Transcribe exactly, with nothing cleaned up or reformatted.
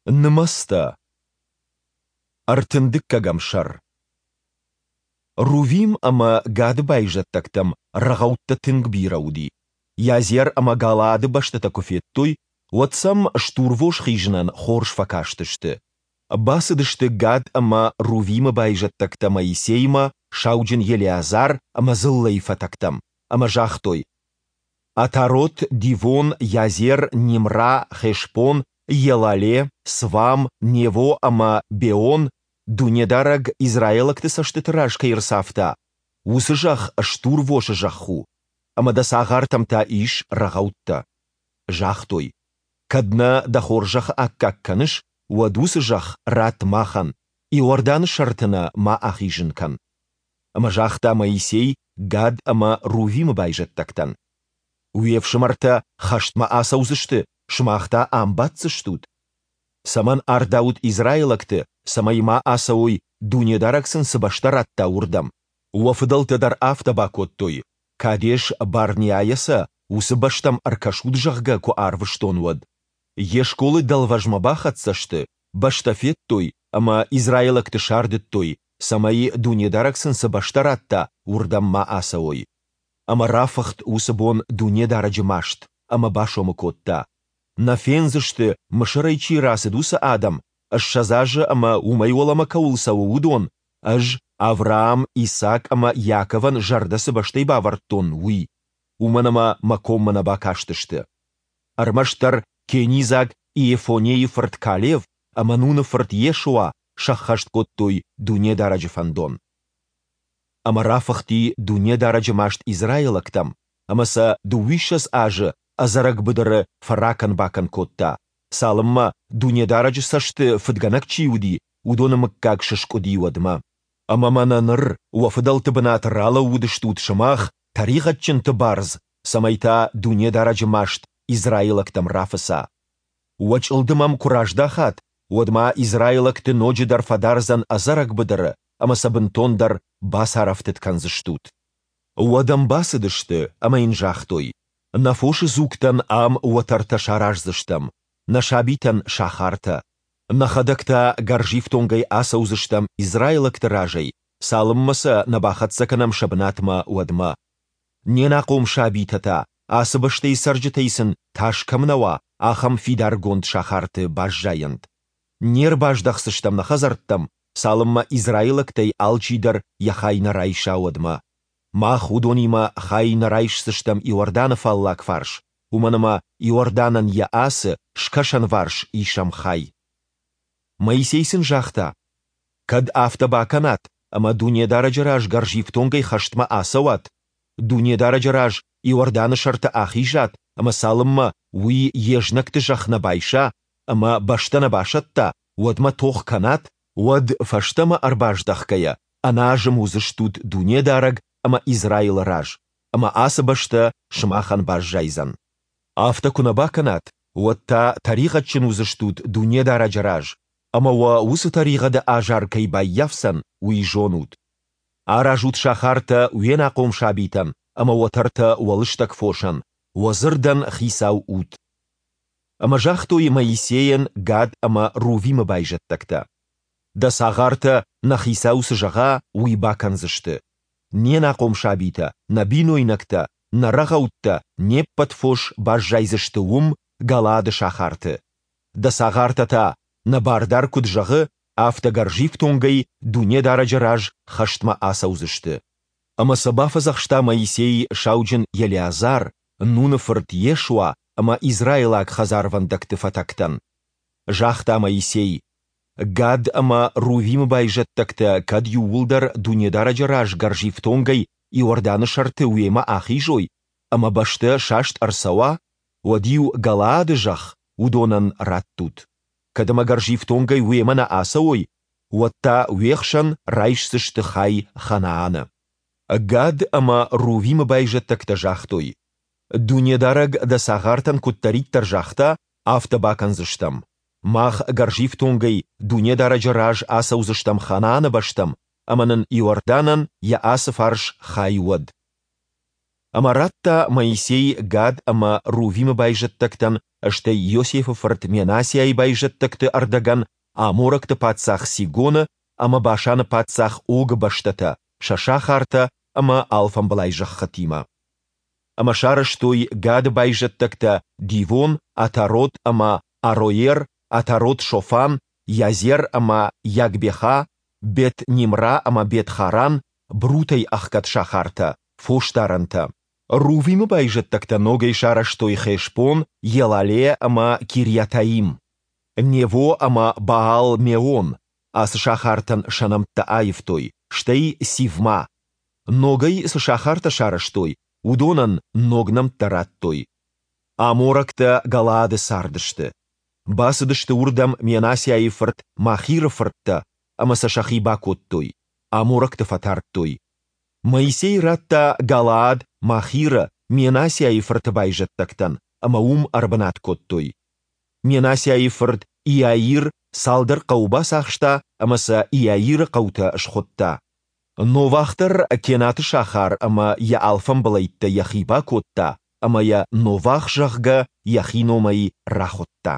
Нымӕцтӕ. Ӕртын дыккӕгӕм сӕр. Рувим ӕмӕ Гады байзӕддӕгтӕм рӕгъӕуттӕ тынг бирӕ уыди. Йазер ӕмӕ Галаады бӕстӕтӕ куы федтой, уӕд сӕм стурвос хизынӕн хорз фӕкастысты. Бацыдысты Гад ӕмӕ Рувимы байзӕддӕгтӕ Моисеймӕ, сауджын Елеазар ӕмӕ дзыллӕйы фӕтӕгтӕм, ӕмӕ загътой: Атарот, Дивон, Йазер, Нимра, Хешбон, Елале, Свам, Нево ӕмӕ Беон, Дунедарӕг израилӕгты цӕстыты раз кӕй ӕрцавта, уыцы зӕхх стурвосы зӕхх у, ӕмӕ дӕ цагъартӕм та ис рӕгъӕуттӕ. Загътой: Кӕд нӕ дӕ хорзӕхы аккаг кӕныс, уӕд уыцы зӕхх ратт махӕн, Иорданы сӕрты нӕ ма ахизын кӕн. Ӕмӕ загъта Моисей Гад ӕмӕ Рувимы байзӕддӕгтӕн: Уе фсымӕртӕ хӕстмӕ ацӕудзысты, сымах та ам баддзыстут? Цӕмӕн ардаут израилӕгты, цӕмӕй ма ацӕуой, Дунедарӕг сын цы бӕстӕ радта, уырдӕм? Уӕ фыдӕлтӕ дӕр афтӕ бакодтой, Кадес-Барнеайӕ сӕ, уыцы бӕстӕм ӕркӕсут, зӕгъгӕ, куы арвыстон, уӕд. Ешколы дӕлвӕзмӕ бахӕццӕ сты, бӕстӕ федтой ӕмӕ израилӕгты сардыдтой, цӕмӕй, Дунедарӕг сын цы бӕстӕ радта, уырдӕм ма ацӕуой. Ӕмӕ рафыхт уыцы бон Дунедарӕджы маст, ӕмӕ басомы кодта, Нӕ фендзысты, Мысырӕй чи рацыд, уыцы адӕм, ссӕдз азы ӕмӕ уымӕй уӕлӕмӕ кӕуыл цӕуы, уыдон, Ӕз Авраам, Исахъ ӕмӕ Иаковӕн зӕрдӕ цы бӕстӕй бавӕрдтон, уый, уымӕн ӕмӕ Мӕ коммӕ нӕ бакастысты. Ӕрмӕстдӕр кенизаг Иефоннейы фырт Калев ӕмӕ Нуны фырт Йешуа сӕххӕст кодтой Дунедарӕджы фӕндон. Ӕмӕ рафыхти Дунедарӕджы маст израилӕгтӕм, ӕмӕ сӕ дыууиссӕдз азы ӕдзӕрӕг быдыры фӕракӕн-бакӕн кодта, цалынмӕ, Дунедарӕджы цӕсты фыдгӕнӕг чи уыди, уыдоны мыггаг сыскъуыди, уӕдмӕ. Ӕмӕ мӕнӕ ныр уӕ фыдӕлты бынаты ралӕууыдыстут сымах, тӕригъӕдджынты бардз, цӕмӕй та Дунедарӕджы маст израилӕгтӕм рафыца. Уӕ чъылдым ӕм куы раздахат, уӕд ма израилӕгты ноджыдӕр фӕдардзӕн ӕдзӕрӕг быдыры ӕмӕ сӕ бынтондӕр бацарӕфтыд кӕндзыстут. Уӕд ӕм бацыдысты ӕмӕ йын загътой: Нӕ фосы дзугтӕн ам уӕтӕртӕ сараздзыстӕм, нӕ сабитӕн сахартӕ. Нӕхӕдӕг та гӕрзифтонгӕй ацӕудзыстӕм израилӕгты разӕй, цалынмӕ сӕ нӕ бахӕццӕ кӕнӕм сӕ бынатмӕ, уӕдмӕ. Не нахъом сабитӕ та, ацы бӕстӕйы цӕрджытӕй сын тас кӕм нӕ уа, ахӕм фидаргонд сахарты баззайӕнт. Не рбаздӕхдзыстӕм нӕ хӕдзӕрттӕм, цалынмӕ израилӕгтӕй алчидӕр йӕ хай нӕ райса, уӕдмӕ. Мах уыдонимӕ хай нӕ райсдзыстӕм Иорданы фаллаг фарс, уымӕн ӕмӕ Иорданӕн йӕ ацы, скӕсӕнварс, исӕм хай. Моисей сын загъта: Кӕд афтӕ бакӕнат, ӕмӕ Дунедарӕджы раз гӕрзифтонгӕй хӕстмӕ ацӕуат, Дунедарӕджы раз Иорданы сӕрты ахизат ӕмӕ цалынмӕ Уый йе знӕгты зӕхх нӕ байса ӕмӕ бӕстӕ нӕ басӕтта, уӕдмӕ тох кӕнат, уӕд, фӕстӕмӕ ӕрбаздӕхгӕйӕ, ӕнӕазым уыдзыстут Дунедарӕг ӕмӕ Израилы раз, ӕмӕ ацы бӕстӕ сымахӕн баззайдзӕн. Афтӕ куы нӕ бакӕнат, уӕд та тӕригъӕдджын уыдзыстут Дунедарӕджы раз, ӕмӕ уӕ уыцы тӕригъӕды азар кӕй баййафдзӕн, уый зонут. Аразут сахартӕ уе нахъом сабитӕн ӕмӕ уӕтӕртӕ уӕ лыстӕг фосӕн, уӕ дзырдӕн хицау ут. Ӕмӕ загътой Моисейӕн Гад ӕмӕ Рувимы байзӕддӕгтӕ: Дӕ цагъартӕ, нӕ хицау цы зӕгъа, уый бакӕндзысты. Не нахъом сабитӕ, нӕ бинойнӕгтӕ, нӕ рӕгъӕуттӕ, не ппӕт фос баззайдзысты уым, Галаады сахарты. Дӕ цагъартӕ та, нӕ бардар куыд зӕгъы, афтӕ гӕрзифтонгӕй Дунедарӕджы раз хӕстмӕ ацӕудзысты. Ӕмӕ сӕ бафӕдзӕхста Моисей сауджын Елеазар, Нуны фырт Йешуа ӕмӕ израилаг хӕдзарвӕндӕгты фӕтӕгтӕн. Загъта Моисей: Гад ӕмӕ Рувимы байзӕддӕгтӕ кӕд иууылдӕр Дунедарӕджы раз гӕрзифтонгӕй Иорданы сӕрты уемӕ ахизой, ӕмӕ бӕстӕ саст ӕрцӕуа, уӕд-иу Галаады зӕхх уыдонӕн раттут. Кӕд ӕмӕ гӕрзифтонгӕй уемӕ нӕ ацӕуой, уӕд та уе хсӕн райсдзысты хай Ханааны. Гад ӕмӕ Рувимы байзӕддӕгтӕ загътой: Дунедарӕг дӕ цагъартӕн куыддӕриддӕр загъта, афтӕ бакӕндзыстӕм. Мах гӕрзифтонгӕй Дунедарӕджы раз ацӕудзыстӕм Ханааны бӕстӕм, ӕмӕ нын Иорданӕн йӕ ацы фарс хай уӕд. Ӕмӕ радта Моисей Гад ӕмӕ Рувимы байзӕддӕгтӕн, стӕй Иосифы фырт Менассиайы байзӕддӕгты ӕрдӕгӕн аморӕгты паддзах Сигоны ӕмӕ Башаны паддзах Огы бӕстӕтӕ сӕ сахартӕ ӕмӕ алфамбылай зӕххытимӕ. Ӕмӕ сарӕзтой Гады байзӕддӕгтӕ Дивон, Атарот ӕмӕ Ароер, Атарот-Шофан, Йазер ӕмӕ Йагбеха, Бет-Нимра ӕмӕ Бет-Харан, брутӕй ӕхгӕд сахартӕ, фосдарӕнтӕ. Рувимы байзӕддӕгтӕ ногӕй сарӕзтой Хешбон, Елале ӕмӕ Кирйатаим, Нево ӕмӕ Баал-Меон, ацы сахартӕн сӕ нӕмттӕ аивтой, стӕй Сивмӕ. Ногӕй цы сахартӕ сарӕзтой, уыдонӕн ног нӕмттӕ радтой. Аморӕгтӕ Галаады цардысты. Бацыдысты уырдӕм Менассиайы фырт Махиры фырттӕ ӕмӕ сӕ сӕхи бакодтой, аморӕгты фӕтардтой. Моисей радта Галаад Махиры, Менассиайы фырты байзӕддӕгтӕн, ӕмӕ уым ӕрбынат кодтой. Менассиайы фырт Иаир цалдӕр хъӕуы бацахста ӕмӕ сӕ Иаиры хъӕутӕ схуыдта. Новах дӕр Кенаты сахар ӕмӕ йӕ алфамбылӕйттӕ йӕхи бакодта ӕмӕ йӕ, Новах, зӕгъгӕ, йӕхи номӕй рахуыдта.